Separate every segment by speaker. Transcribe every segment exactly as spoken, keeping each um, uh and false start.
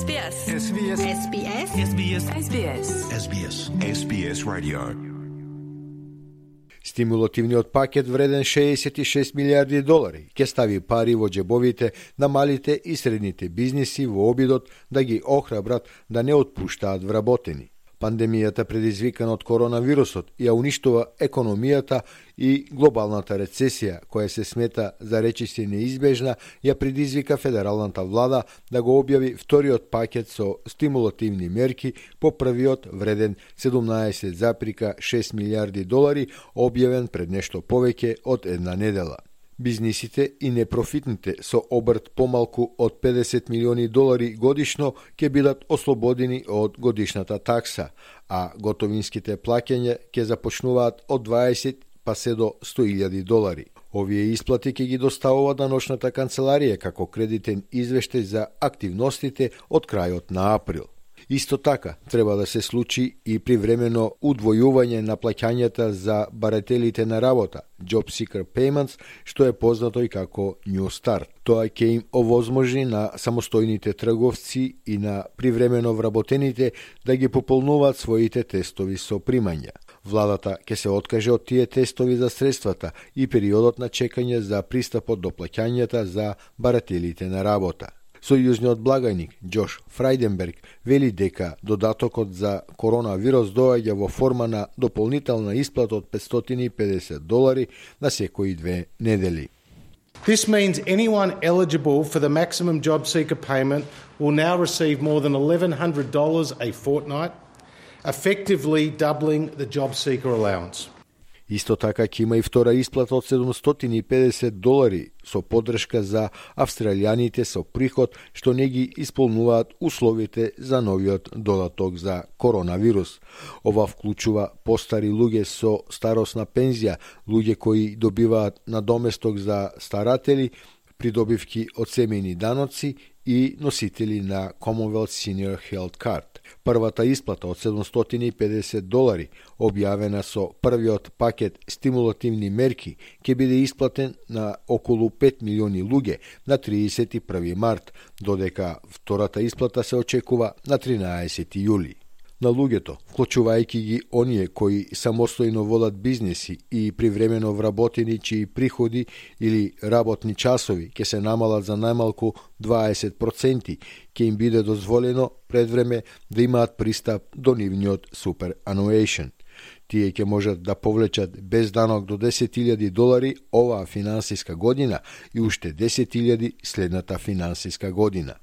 Speaker 1: S B S.
Speaker 2: S B S.
Speaker 1: S B S.
Speaker 2: S B S.
Speaker 1: S B S.
Speaker 2: S B S. S B S Radio.
Speaker 3: Стимулативниот пакет вреден шеесет и шест милиарди долари ќе стави пари во џебовите на малите и средните бизниси во обидот да ги охрабрат да не отпуштаат вработени. Пандемијата предизвикана од коронавирусот ја уништува економијата и глобалната рецесија, која се смета за речиси неизбежна, ја предизвика федералната влада да го објави вториот пакет со стимулативни мерки по првиот вреден седумнаесет зарез шест милиарди долари, објавен пред нешто повеќе од една недела. Бизнисите и непрофитните со обрт помалку од педесет милиони долари годишно ќе бидат ослободени од годишната такса, а готовинските плаќања ќе започнуваат од дваесет па се до сто илјади долари. Овие исплати ќе ги доставува даночната канцеларија како кредитен извештај за активностите од крајот на април. Исто така, треба да се случи и привремено удвојување на плаќањата за барателите на работа, Job Seeker Payments, што е познато и како New Start. Тоа ќе им овозможи на самостојните трговци и на привремено вработените да ги пополнуваат своите тестови со примања. Владата ќе се откаже од тие тестови за средствата и периодот на чекање за пристапот до плаќањата за барателите на работа. Сојузниот благајник Џош Фрајденберг вели дека додатокот за коронавирус доаѓа во форма на дополнителна исплата од петстотини и педесет долари на секои две недели.
Speaker 4: This means anyone eligible for the maximum job seeker payment will now receive more than eleven hundred dollars a fortnight, effectively doubling the job seeker allowance.
Speaker 3: Исто така ќе има и втора исплата од седумстотини и педесет долари со поддршка за австралијаните со приход што не ги исполнуваат условите за новиот додаток за коронавирус. Ова вклучува постари луѓе со старосна пензија, луѓе кои добиваат надоместок за старатели, придобивки од семејни даноци и носители на Commonwealth Senior Health Card. Првата исплата од седумстотини и педесет долари, објавена со првиот пакет стимулативни мерки, ќе биде исплатен на околу пет милиони луѓе на триесет и први март, додека втората исплата се очекува на тринаесети јули. На луѓето, вклучувајќи ги оние кои самостојно водат бизнеси и привремено вработени чии приходи или работни часови ќе се намалат за најмалку дваесет проценти, ќе им биде дозволено пред време да имаат пристап до нивниот superannuation. Тие ќе можат да повлечат без данок до десет илјади долари оваа финансиска година и уште десет илјади следната финансиска година.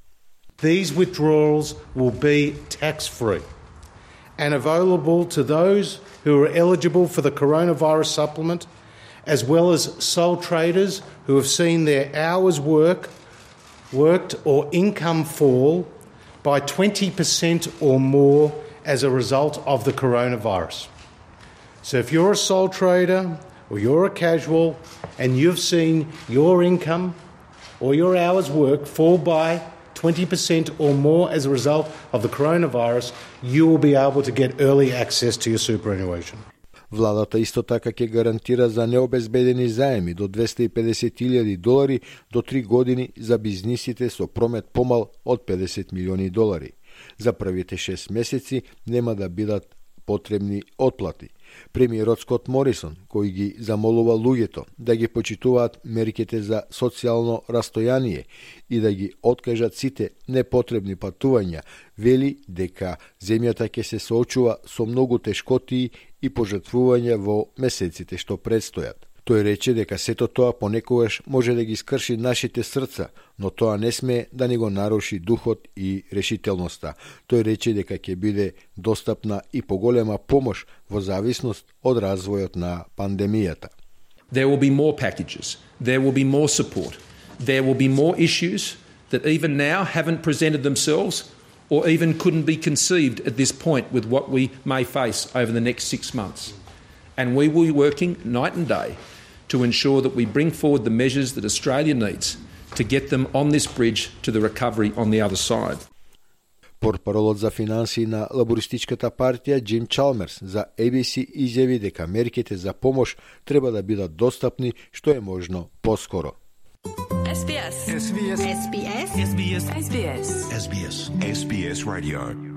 Speaker 4: These withdrawals will be tax-free and available to those who are eligible for the coronavirus supplement, as well as sole traders who have seen their hours work, worked or income fall by twenty percent or more as a result of the coronavirus. So if you're a sole trader or you're a casual and you've seen your income or your hours work fall by twenty percent or more as a result of the coronavirus, you will be able to get early access to your superannuation.
Speaker 3: Владата исто така ќе гарантира за необезбедени заеми до двесте и педесет илјади долари до три години за бизнисите со промет помал од педесет милиони долари. За првите шест месеци нема да бидат потребни отплати. Премиерот Скот Морисон, кој ги замолува луѓето да ги почитуваат мерките за социјално растојание и да ги откажат сите непотребни патувања, вели дека земјата ќе се соочува со многу тешкотии и пожртвувања во месеците што предстојат. Тој рече дека сето тоа понекогаш може да ги скрши нашите срца, но тоа не смее да ни го наруши духот и решителноста. Тој рече дека ќе биде достапна и поголема помош во зависност од развојот на пандемијата.
Speaker 5: There will be more packages. There will be more support. There will be more issues that even now haven't presented themselves or even couldn't be conceived at this point with what we may face over the next six months. And we will be working night and day to ensure that we bring forward the measures that Australia needs to get them on this bridge to the recovery on the other side.
Speaker 3: Портпаролот за финансии на лабористичката партија Џим Чалмерс за A B C изјави дека мерките за помош треба да бидат достапни што е можно поскоро.
Speaker 1: S B S.
Speaker 2: S B S.
Speaker 1: S B S. S B S. S B S.
Speaker 2: S B S. S B S Radio.